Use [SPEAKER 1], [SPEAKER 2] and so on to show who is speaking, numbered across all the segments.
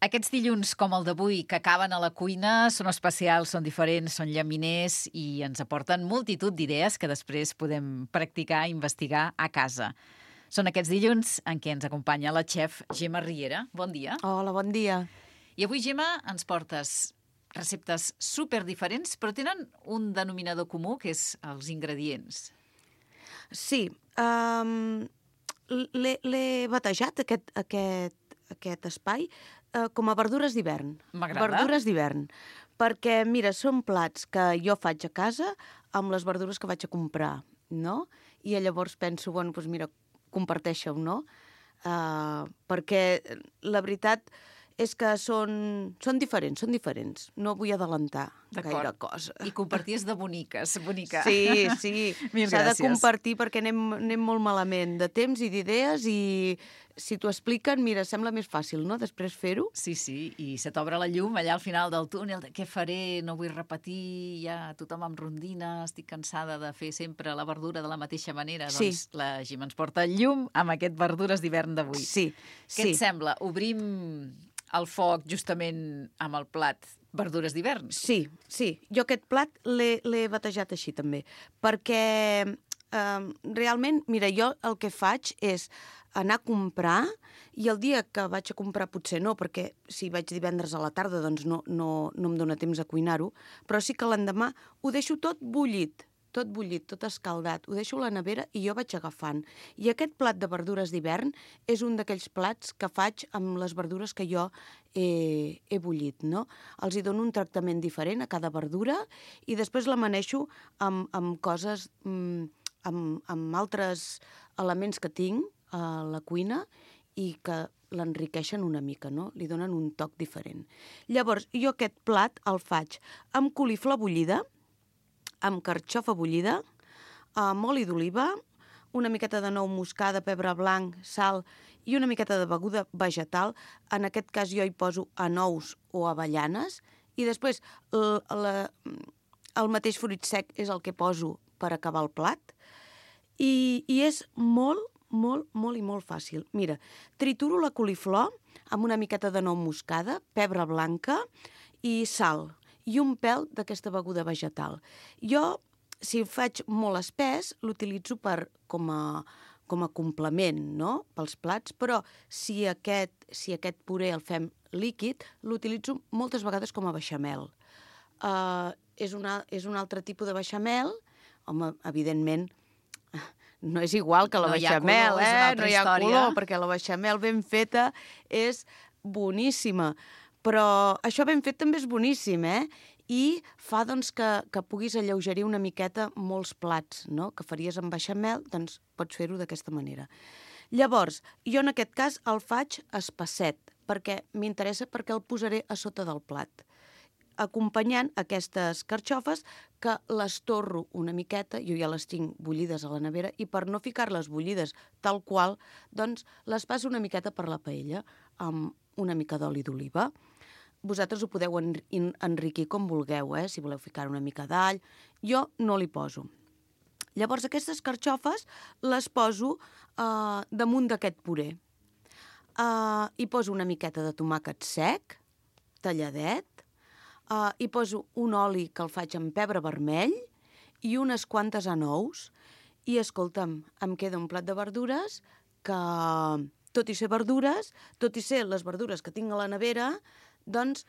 [SPEAKER 1] Aquests dilluns, com el d'avui, que acaben a la cuina, són especials, són diferents, són llaminers i ens aporten multitud d'idees que després podem practicar i investigar a casa. Són aquests dilluns en què ens acompanya la xef Gemma Riera. Bon dia.
[SPEAKER 2] Hola, bon dia.
[SPEAKER 1] I avui, Gemma, ens portes receptes superdiferents, però tenen un denominador comú, que és els ingredients.
[SPEAKER 2] Sí, l'he batejat, aquest espai, com a verdures d'hivern.
[SPEAKER 1] M'agrada.
[SPEAKER 2] Verdures d'hivern. Perquè, mira, són plats que jo faig a casa amb les verdures que vaig a comprar, no? I llavors penso, bueno, doncs mira, comparteixo, no? Perquè la veritat és que són diferents. No vull adelantar gaire cosa.
[SPEAKER 1] I comparties de boniques, bonica.
[SPEAKER 2] Sí.
[SPEAKER 1] Mil
[SPEAKER 2] S'ha de
[SPEAKER 1] gràcies.
[SPEAKER 2] compartir perquè anem molt malament de temps i d'idees i si t'ho expliquen, mira, sembla més fàcil, no?, després fer-ho.
[SPEAKER 1] Sí, i se t'obre la llum allà al final del túnel, de què faré, no vull repetir, ja tothom em rondina, estic cansada de fer sempre la verdura de la mateixa manera.
[SPEAKER 2] Sí.
[SPEAKER 1] Doncs la Gemma ens porta llum amb aquest verdures d'hivern d'avui.
[SPEAKER 2] Sí.
[SPEAKER 1] Què et sembla? Obrim el foc justament amb el plat verdures d'hivern?
[SPEAKER 2] Sí. Jo aquest plat l'he batejat així també, perquè realment, mira, jo el que faig és anar a comprar i el dia que vaig a comprar potser no, perquè si vaig divendres a la tarda doncs no em dóna temps a cuinar-ho, però sí que l'endemà ho deixo tot bullit, tot escaldat, ho deixo a la nevera i jo vaig agafant. I aquest plat de verdures d'hivern és un d'aquells plats que faig amb les verdures que jo he bullit, no? Els hi dono un tractament diferent a cada verdura i després la maneixo amb coses, amb altres elements que tinc a la cuina i que l'enriqueixen una mica, no? Li donen un toc diferent. Llavors, jo aquest plat el faig amb coliflor bullida, amb carxofa bullida, amb oli d'oliva, una miqueta de nou moscada, pebre blanc, sal i una miqueta de beguda vegetal. En aquest cas jo hi poso anous o avellanes i després el mateix fruit sec és el que poso per acabar el plat i és molt fàcil. Mira, trituro la coliflor amb una miqueta de nou moscada, pebre blanca i sal i un pèl d'aquesta beguda vegetal. Jo, si ho faig molt espès, l'utilitzo com a complement, no?, pels plats, però si aquest puré el fem líquid, l'utilitzo moltes vegades com a beixamel. És un altre tipus de beixamel, home, evidentment, no és igual que la beixamel, no hi ha color, perquè la beixamel ben feta és boníssima. Però això ben fet també és boníssim, I fa doncs, que puguis alleugerir una miqueta molts plats, no?, que faries amb beixamel, doncs pots fer-ho d'aquesta manera. Llavors, jo en aquest cas el faig espesset, perquè m'interessa perquè el posaré a sota del plat, acompanyant aquestes carxofes que les torro una miqueta, jo ja les tinc bullides a la nevera, i per no ficar-les bullides tal qual, doncs les passo una miqueta per la paella amb una mica d'oli d'oliva. Vosaltres ho podeu enriquir com vulgueu, si voleu ficar una mica d'all. Jo no li poso. Llavors aquestes carxofes les poso damunt d'aquest puré. Hi poso una miqueta de tomàquet sec, talladet, hi poso un oli que el faig amb pebre vermell i unes quantes anous i, escolta'm, em queda un plat de verdures que, tot i ser verdures, tot i ser les verdures que tinc a la nevera, doncs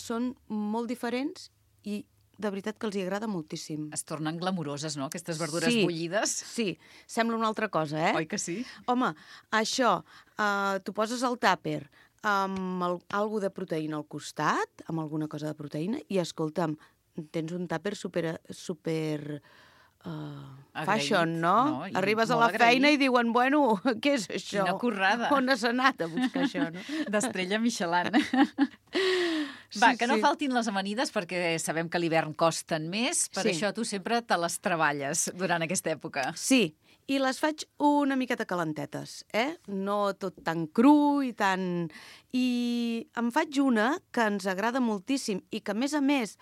[SPEAKER 2] són molt diferents i de veritat que els hi agrada moltíssim.
[SPEAKER 1] Es tornen glamuroses, no?, aquestes verdures bullides.
[SPEAKER 2] Sí, sembla una altra cosa,
[SPEAKER 1] Oi que sí?
[SPEAKER 2] Home, això, t'ho poses al tàper amb alguna de proteïna al costat, amb alguna cosa de proteïna, i escolta'm, tens un tàper super fashion, no? Arribes a la feina i diuen, bueno, què és això?
[SPEAKER 1] Quina currada.
[SPEAKER 2] On has anat a buscar això, no?
[SPEAKER 1] D'estrella Michelin. Va, que no faltin les amanides, perquè sabem que a l'hivern costen més, per això tu sempre te les treballes durant aquesta època.
[SPEAKER 2] Sí, i les faig una miqueta calentetes, No tot tan cru i tan... I em faig una que ens agrada moltíssim i que, a més,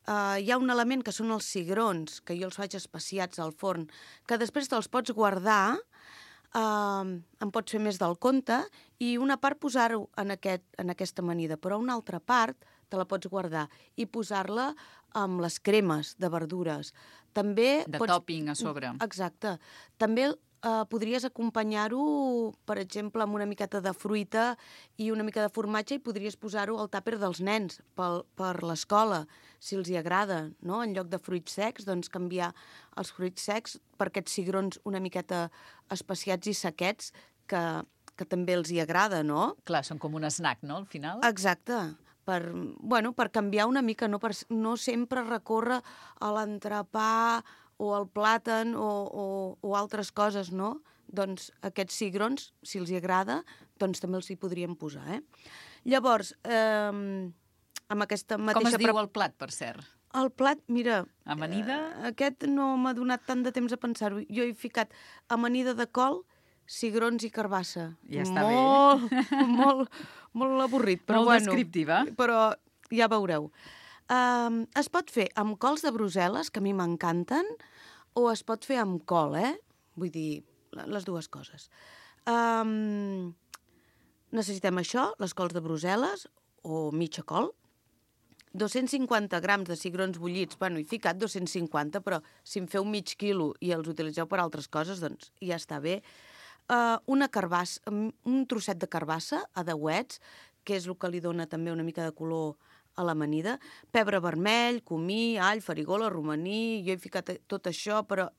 [SPEAKER 2] hi ha un element que són els cigrons, que jo els faig especiats al forn, que després te'ls pots guardar en pots fer més del compte i una part posar-ho en aquesta amanida, però una altra part te la pots guardar i posar-la amb les cremes de verdures. També
[SPEAKER 1] tòping a sobre.
[SPEAKER 2] Exacte. També podries acompanyar-ho, per exemple, amb una miqueta de fruita i una mica de formatge i podries posar-ho al tàper dels nens per l'escola, si els hi agrada, no? En lloc de fruits secs, doncs canviar els fruits secs per aquests cigrons una miqueta especiats i sequets que també els hi agrada, no?
[SPEAKER 1] Clar, són com un snack, no, al final?
[SPEAKER 2] Exacte. Per canviar una mica, no sempre recórrer a l'entrepà o al plàtan o altres coses, no? Doncs aquests cigrons, si els hi agrada, doncs també els hi podríem posar, Llavors, amb aquesta mateixa...
[SPEAKER 1] Com es diu el plat, per cert?
[SPEAKER 2] El plat, mira...
[SPEAKER 1] Amanida?
[SPEAKER 2] Aquest no m'ha donat tant de temps a pensar-ho. Jo he ficat amanida de col, cigrons i carbassa.
[SPEAKER 1] Ja està bé.
[SPEAKER 2] Molt avorrit, però
[SPEAKER 1] molt descriptiva.
[SPEAKER 2] Però ja veureu. Es pot fer amb cols de Brussel·les, que a mi m'encanten, o es pot fer amb col, Vull dir, les dues coses. Necessitem això, les cols de Brussel·les, o mitja col, 250 grams de cigrons bullits, he ficat 250, però si em feu mig quilo i els utilitzeu per altres coses, doncs ja està bé. Una carbassa, un trosset de carbassa a deuets, que és el que li dona també una mica de color a l'amanida, pebre vermell, comí, all, farigola, romaní, jo he ficat tot això, però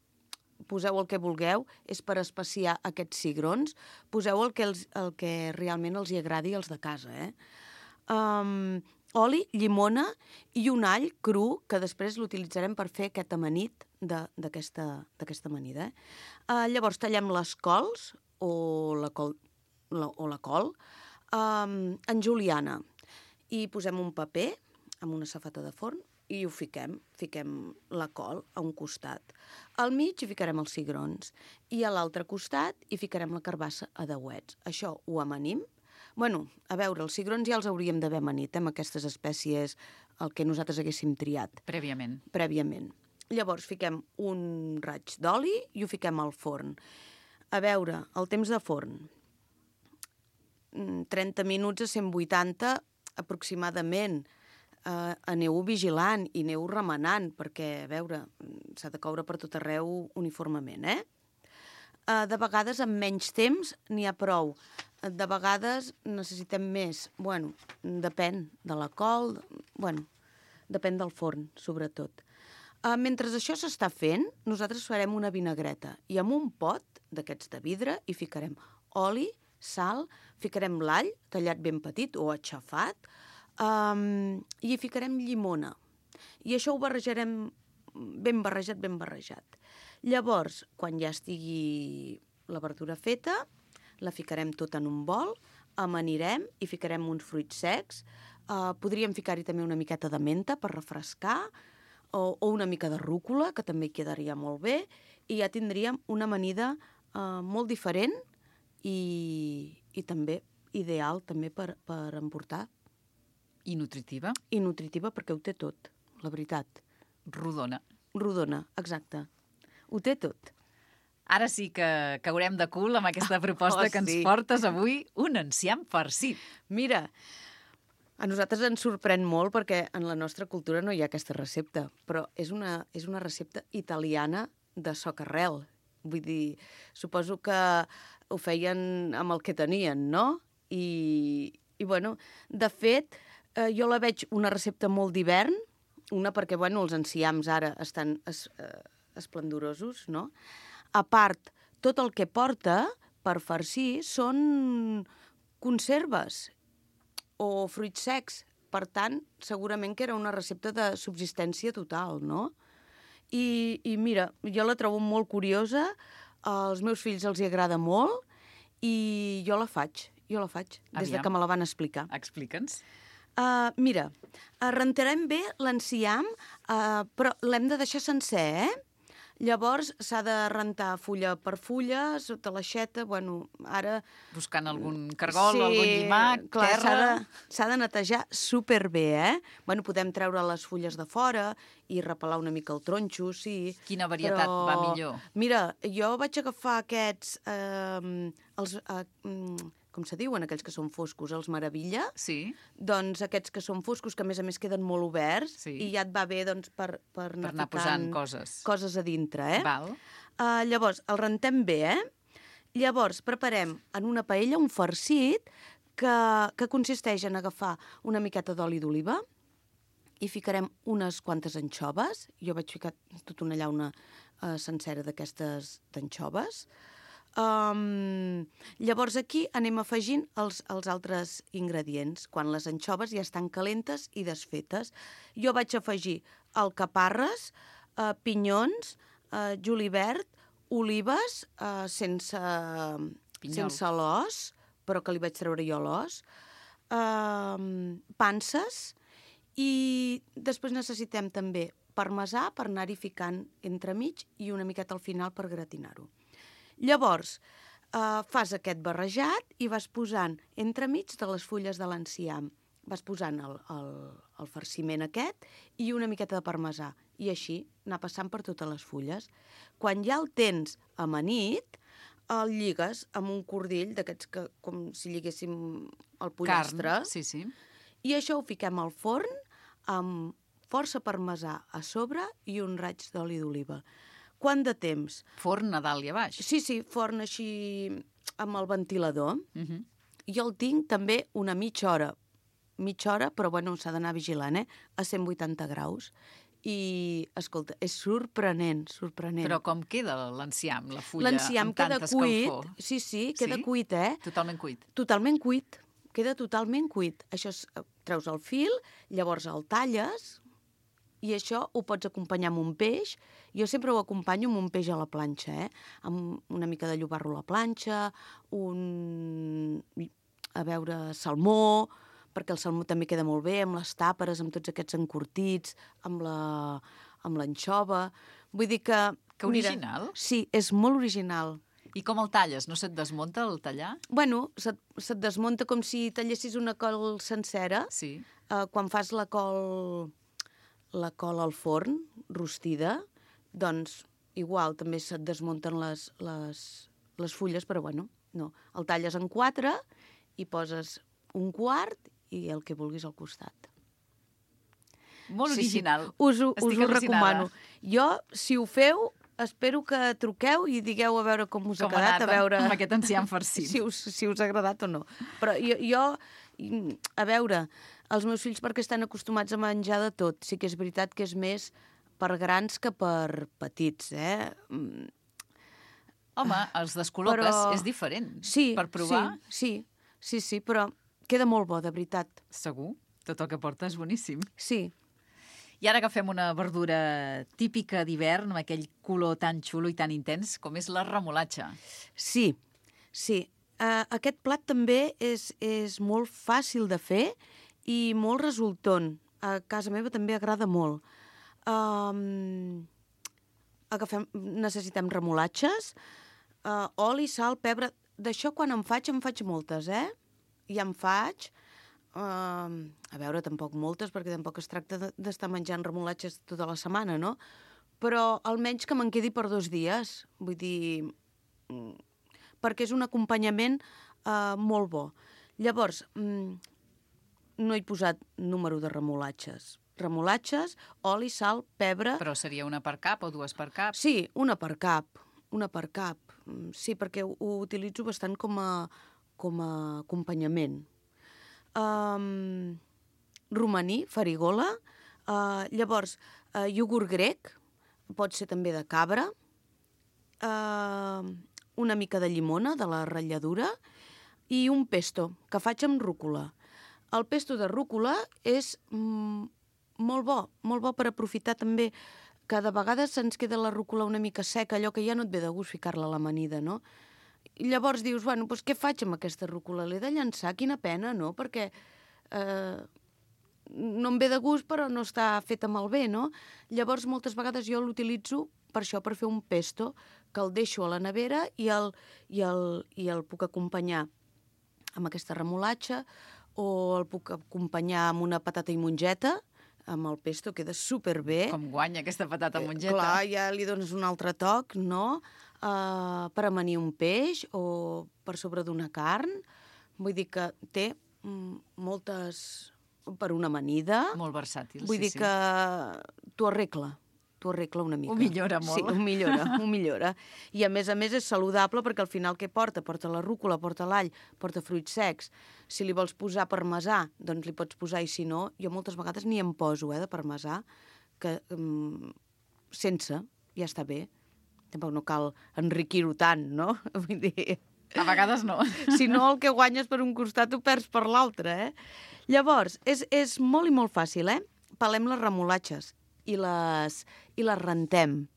[SPEAKER 2] poseu el que vulgueu, és per especiar aquests cigrons, poseu el que realment els hi agradi als de casa, oli, llimona i un all cru, que després l'utilitzarem per fer aquest amanit d'aquesta amanida. Llavors tallem les cols o la col en juliana i posem un paper amb una safata de forn i ho fiquem la col a un costat. Al mig hi ficarem els cigrons i a l'altre costat hi ficarem la carbassa a deuets. Això ho amanim. A veure, els cigrons ja els hauríem d'haver amanit, amb aquestes espècies, el que nosaltres haguéssim triat.
[SPEAKER 1] Prèviament.
[SPEAKER 2] Llavors fiquem un raig d'oli i ho fiquem al forn. A veure, el temps de forn, 30 minuts a 180 aproximadament. Aneu-ho vigilant i aneu-ho remenant, perquè, a veure, s'ha de coure per tot arreu uniformement, De vegades, amb menys temps, n'hi ha prou. De vegades necessitem més. Depèn de la col, depèn del forn, sobretot. Mentre això s'està fent, nosaltres farem una vinagreta i amb un pot d'aquests de vidre hi ficarem oli, sal, ficarem l'all tallat ben petit o aixafat i hi ficarem llimona. I això ho barrejarem ben barrejat. Llavors, quan ja estigui la verdura feta, la ficarem tot en un bol, amanirem i ficarem uns fruits secs. Podríem ficar-hi també una miqueta de menta per refrescar, o una mica de rúcula, que també hi quedaria molt bé, i ja tindríem una amanida molt diferent i també ideal també per emportar.
[SPEAKER 1] I nutritiva?
[SPEAKER 2] I nutritiva perquè ho té tot, la veritat.
[SPEAKER 1] Rodona,
[SPEAKER 2] exacte. Ho té tot.
[SPEAKER 1] Ara sí que caurem de cul amb aquesta proposta que ens portes avui, un enciam farcit.
[SPEAKER 2] Mira, a nosaltres ens sorprèn molt perquè en la nostra cultura no hi ha aquesta recepta, però és una recepta italiana de socarrel. Vull dir, suposo que ho feien amb el que tenien, no? I de fet, jo la veig una recepta molt d'hivern, una perquè, els enciams ara estan esplendorosos, no? A part, tot el que porta per farcir són conserves o fruits secs. Per tant, segurament que era una recepta de subsistència total, no? I mira, jo la trobo molt curiosa, als meus fills els hi agrada molt i jo la faig, des de que me la van explicar.
[SPEAKER 1] Explica'ns.
[SPEAKER 2] Mira, rentarem bé l'enciam, però l'hem de deixar sencer, Llavors s'ha de rentar fulla per fulla, sota l'aixeta, bueno, ara...
[SPEAKER 1] Buscant algun cargol, algun llimac,
[SPEAKER 2] clar,
[SPEAKER 1] terra...
[SPEAKER 2] S'ha de netejar superbé, Bueno, podem treure les fulles de fora i repelar una mica el tronxo, sí.
[SPEAKER 1] Quina varietat va millor?
[SPEAKER 2] Mira, jo vaig agafar aquests... com se diuen, aquells que són foscos, els Meravilla.
[SPEAKER 1] Sí.
[SPEAKER 2] Doncs aquests que són foscos, que a més queden molt oberts, i ja et va bé doncs, per
[SPEAKER 1] anar posant
[SPEAKER 2] coses a dintre,
[SPEAKER 1] Val.
[SPEAKER 2] Llavors, el rentem bé, Llavors, preparem en una paella un farcit que consisteix en agafar una miqueta d'oli d'oliva, i ficarem unes quantes anxoves. Jo vaig ficar tota una llauna sencera d'aquestes d'anxoves. Llavors aquí anem afegint els altres ingredients, quan les anxoves ja estan calentes i desfetes. Jo vaig afegir alcaparres, pinyons, julivert, olives sense l'os, però que li vaig treure jo l'os, panses, i després necessitem també parmesà per anar-hi ficant entremig i una miqueta al final per gratinar-ho. Llavors, fas aquest barrejat i vas posant entremig de les fulles de l'enciam. Vas posant el farciment aquest i una miqueta de parmesà. I així anar passant per totes les fulles. Quan ja el tens amanit, el lligues amb un cordill d'aquests que com si lliguéssim el pollastre.
[SPEAKER 1] Carn, sí.
[SPEAKER 2] I això ho fiquem al forn amb força parmesà a sobre i un raig d'oli d'oliva. Quant de temps?
[SPEAKER 1] Forn a dalt i a baix.
[SPEAKER 2] Sí, forn així amb el ventilador. Jo el tinc també una mitja hora, però bueno, s'ha d'anar vigilant, a 180 graus. I, escolta, és sorprenent.
[SPEAKER 1] Però com queda l'enciam, la fulla, amb tanta escalfor?
[SPEAKER 2] L'enciam queda cuit, sí, queda cuit,
[SPEAKER 1] Totalment cuit?
[SPEAKER 2] Totalment cuit, queda totalment cuit. Això treus el fil, llavors el talles, i això ho pots acompanyar amb un peix. Jo sempre ho acompanyo amb un peix a la planxa, amb una mica de llobarro a la planxa, salmó, perquè el salmó també queda molt bé, amb les tàperes, amb tots aquests encurtits, amb l'anxova. Vull dir que...
[SPEAKER 1] Que original.
[SPEAKER 2] Sí, és molt original.
[SPEAKER 1] I com el talles? No se't desmunta el tallar?
[SPEAKER 2] Bueno, se't desmunta com si tallessis una col sencera.
[SPEAKER 1] Sí.
[SPEAKER 2] Quan fas la col al forn, rostida, doncs igual també se't desmunten les fulles, però bueno, no. El talles en 4 i poses un quart i el que vulguis al costat.
[SPEAKER 1] Molt original.
[SPEAKER 2] Us ho recomano. Jo, si ho feu, espero que truqueu i digueu a veure com us ha quedat.
[SPEAKER 1] A veure amb aquest enciam farcit.
[SPEAKER 2] Si us ha agradat o no. Però jo, a veure, els meus fills perquè estan acostumats a menjar de tot. Sí que és veritat que és més per grans que per petits,
[SPEAKER 1] Home, els descol·loques, és diferent.
[SPEAKER 2] Sí,
[SPEAKER 1] per provar.
[SPEAKER 2] Sí, però queda molt bo, de veritat.
[SPEAKER 1] Segur. Tot el que porta és boníssim.
[SPEAKER 2] Sí.
[SPEAKER 1] I ara agafem una verdura típica d'hivern, amb aquell color tan xulo i tan intens, com és la remolatxa.
[SPEAKER 2] Sí. Aquest plat també és molt fàcil de fer i molt resultant. A casa meva també agrada molt. Necessitem remolatxes, oli, sal, pebre. D'això quan em faig moltes, I em faig, a veure, tampoc moltes, perquè tampoc es tracta d'estar menjant remolatxes tota la setmana, no? Però almenys que me'n quedi per 2 dies. Vull dir, perquè és un acompanyament molt bo. Llavors, no he posat número de remolatxes. Remolatxes, oli, sal, pebre...
[SPEAKER 1] Però seria una per cap o 2 per cap?
[SPEAKER 2] Sí, una per cap. Sí, perquè ho utilitzo bastant com a acompanyament. Romaní, farigola, llavors iogurt grec, pot ser també de cabra, una mica de llimona, de la ratlladura, i un pesto, que faig amb rúcula. El pesto de rúcula és molt bo per aprofitar també, que de vegades se'ns queda la rúcula una mica seca, allò que ja no et ve de gust ficar-la a l'amanida, no? I llavors dius, bueno, doncs què faig amb aquesta rúcula? L'he de llançar? Quina pena, no? Perquè no em ve de gust, però no està feta malbé, no? Llavors, moltes vegades jo l'utilitzo per això, per fer un pesto, que el deixo a la nevera i el puc acompanyar amb aquesta remolatxa, o el puc acompanyar amb una patata i mongeta, amb el pesto, queda superbé.
[SPEAKER 1] Com guanya aquesta patata mongeta.
[SPEAKER 2] Clar, ja li dones un altre toc, no? Per amanir un peix o per sobre d'una carn. Vull dir que té moltes... per una amanida.
[SPEAKER 1] Molt versàtil,
[SPEAKER 2] Vull dir que t'ho arregla una mica.
[SPEAKER 1] Ho millora molt.
[SPEAKER 2] Sí, ho millora. I a més és saludable perquè al final què porta? Porta la rúcula, porta l'all, porta fruits secs. Si li vols posar parmesà, doncs li pots posar, i si no, jo moltes vegades n'hi em poso, de parmesà, que sense, ja està bé. Tampoc no cal enriquir-ho tant, no? Vull dir...
[SPEAKER 1] A vegades no.
[SPEAKER 2] Si no, el que guanyes per un costat ho perds per l'altre, Llavors, és molt i molt fàcil, Pelem les remolatxes i les rentem.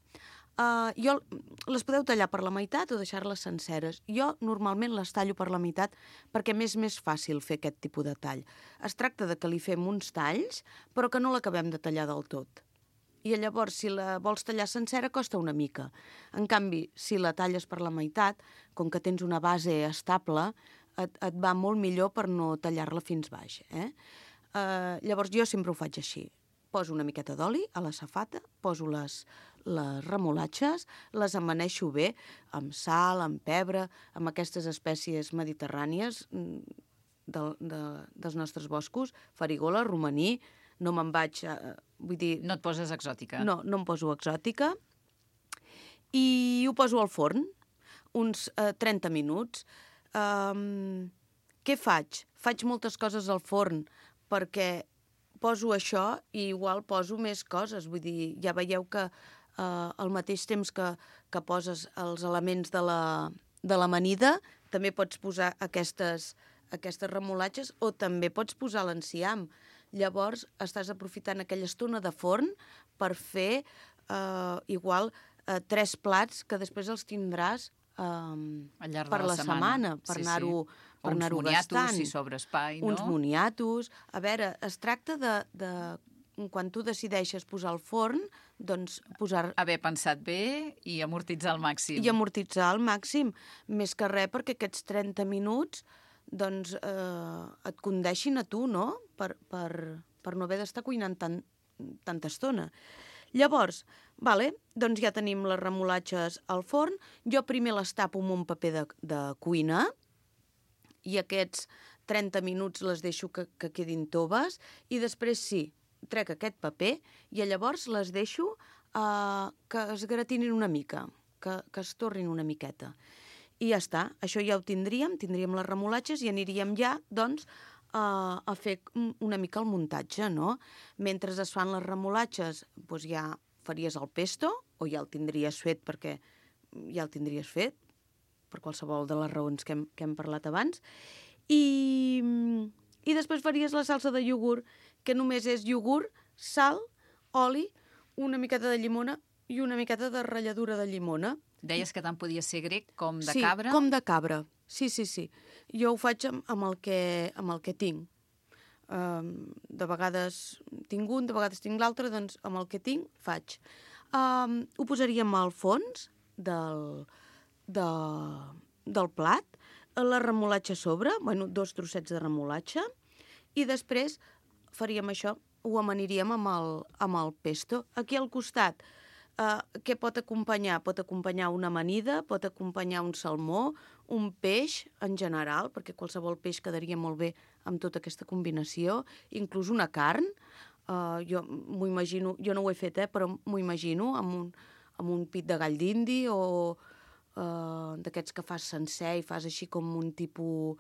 [SPEAKER 2] Les podeu tallar per la meitat o deixar-les senceres. Jo normalment les tallo per la meitat perquè m'és més fàcil fer aquest tipus de tall. Es tracta de que li fem uns talls, però que no l'acabem de tallar del tot. I llavors, si la vols tallar sencera, costa una mica. En canvi, si la talles per la meitat, com que tens una base estable, et va molt millor per no tallar-la fins baix. Llavors, jo sempre ho faig així. Poso una miqueta d'oli a la safata, poso les remolatxes, les amaneixo bé, amb sal, amb pebre, amb aquestes espècies mediterrànies dels nostres boscos, farigola, romaní, no me'n vaig... vull dir...
[SPEAKER 1] No et poses exòtica.
[SPEAKER 2] No em poso exòtica. I ho poso al forn, uns 30 minuts. Què faig? Faig moltes coses al forn perquè poso això i igual poso més coses. Vull dir, ja veieu que al mateix temps que poses els elements de l'amanida, també pots posar aquestes remolatxes o també pots posar l'enciam. Llavors, estàs aprofitant aquella estona de forn per fer igual 3 plats que després els tindràs per la setmana, per anar-ho gastant.
[SPEAKER 1] Uns moniatos, si sobra espai, no?
[SPEAKER 2] Uns moniatos. A veure, es tracta de quan tu decideixes posar al forn, doncs posar...
[SPEAKER 1] Haver pensat bé i amortitzar al màxim.
[SPEAKER 2] I amortitzar al màxim. Més que res perquè aquests 30 minuts doncs et condeixin a tu, no? Per no haver d'estar cuinant tanta estona. Llavors, doncs ja tenim les remolatxes al forn. Jo primer les tapo amb un paper de cuina i aquests 30 minuts les deixo que quedin toves i després trec aquest paper i llavors les deixo que es gratinin una mica, que es torrin una miqueta. I ja està, això ja ho tindríem les remolatxes i aniríem ja, doncs, a fer una mica el muntatge, no? Mentre es fan les remolatxes, doncs ja faries el pesto, o ja el tindries fet perquè ja el tindries fet, per qualsevol de les raons que hem parlat abans, i després faries la salsa de iogurt, que només és iogurt, sal, oli, una miqueta de llimona i una miqueta de ratlladura de llimona.
[SPEAKER 1] Deies que tant podia ser grec com de
[SPEAKER 2] Sí,
[SPEAKER 1] cabra?
[SPEAKER 2] com de cabra. Sí. Jo ho faig amb el que tinc. De vegades tinc un, de vegades tinc l'altre, doncs amb el que tinc faig. Ho posaríem al fons del plat, la remolatxa a sobre, 2 trossets de remolatxa, i després faríem això, ho amaniríem amb el pesto. Aquí al costat, què pot acompanyar? Pot acompanyar una amanida, pot acompanyar un salmó, un peix en general, perquè qualsevol peix quedaria molt bé amb tota aquesta combinació, inclús una carn. Jo m'ho imagino, jo no ho he fet, però m'ho imagino amb un pit de gall d'indi o d'aquests que fas sencer i fas així com un tipus...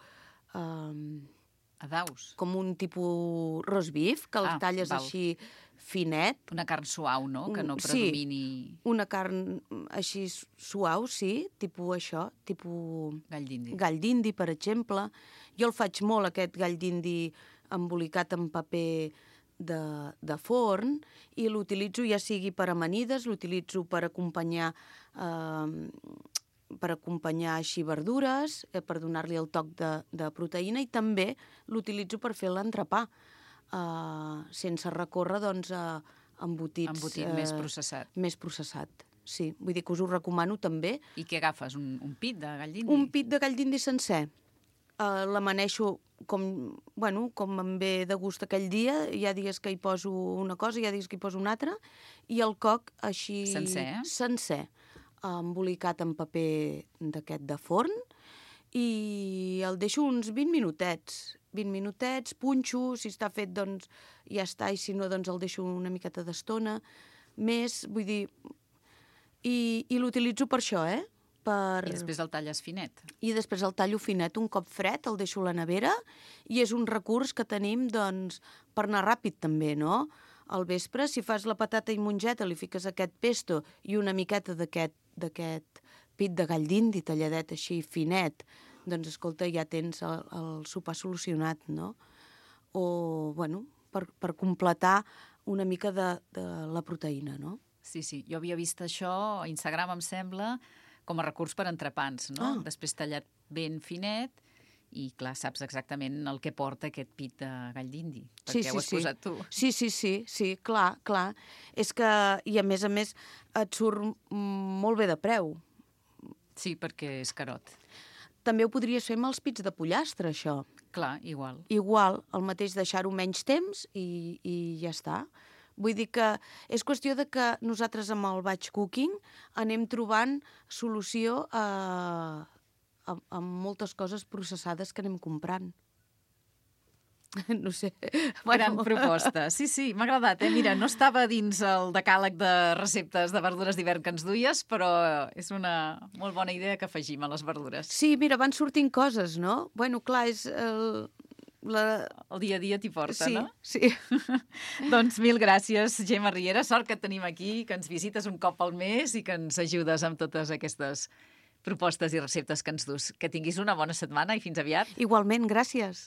[SPEAKER 1] Adaus.
[SPEAKER 2] Com un tipus roast beef, que el talles així finet.
[SPEAKER 1] Una carn suau, no? Que no predomini...
[SPEAKER 2] Sí, una carn així suau, sí, tipus això, tipus...
[SPEAKER 1] Gall d'indi.
[SPEAKER 2] Gall d'indi, per exemple. Jo el faig molt, aquest gall d'indi embolicat en paper de forn, i l'utilitzo ja sigui per amanides, l'utilitzo per acompanyar així verdures, per donar-li el toc de proteïna, i també l'utilitzo per fer l'entrepà, sense recórrer doncs, a embotits...
[SPEAKER 1] Embotit més processat.
[SPEAKER 2] Més processat, sí. Vull dir que us ho recomano també.
[SPEAKER 1] I què agafes? Un pit de gall d'indi?
[SPEAKER 2] Un pit de gall d'indi sencer. L'amaneixo com em ve de gust aquell dia. Hi ha dies que hi poso una cosa, hi ha dies que hi poso una altra. I el coc així...
[SPEAKER 1] Sencer?
[SPEAKER 2] Sencer. Embolicat en paper d'aquest de forn. I el deixo uns 20 minutets. 20 minutets, punxo, si està fet, doncs ja està, i si no, doncs el deixo una miqueta d'estona. Més, vull dir... I l'utilitzo per això, I
[SPEAKER 1] després el talles finet?
[SPEAKER 2] I després el tallo finet, un cop fred, el deixo a la nevera, i és un recurs que tenim, doncs, per anar ràpid també, no? Al vespre, si fas la patata i mongeta, li fiques aquest pesto i una miqueta d'aquest pit de gall d'indi talladet així finet, doncs, escolta, ja tens el sopar solucionat, no? O, per completar una mica de la proteïna, no?
[SPEAKER 1] Sí, jo havia vist això a Instagram, em sembla, com a recurs per entrepans, no? Després tallat ben finet i, clar, saps exactament el que porta aquest pit de gall d'indi, perquè ho has posat tu.
[SPEAKER 2] Sí, clar. És que, i a més, et surt molt bé de preu.
[SPEAKER 1] Sí, perquè és carot.
[SPEAKER 2] També ho podries fer amb els pits de pollastre, això.
[SPEAKER 1] Clar, igual.
[SPEAKER 2] Igual, el mateix deixar-ho menys temps i ja està. Vull dir que és qüestió de que nosaltres amb el batch cooking anem trobant solució a moltes coses processades que anem comprant. No sé.
[SPEAKER 1] Gran proposta. Sí, m'ha agradat. Mira, no estava dins el decàleg de receptes de verdures d'hivern que ens duies, però és una molt bona idea que afegim a les verdures.
[SPEAKER 2] Sí, mira, van sortint coses, no? Clar, és...
[SPEAKER 1] El dia a dia t'hi porta, no?
[SPEAKER 2] Sí.
[SPEAKER 1] Doncs mil gràcies, Gemma Riera. Sort que et tenim aquí, que ens visites un cop al mes i que ens ajudes amb totes aquestes propostes i receptes que ens dus. Que tinguis una bona setmana i fins aviat.
[SPEAKER 2] Igualment, gràcies.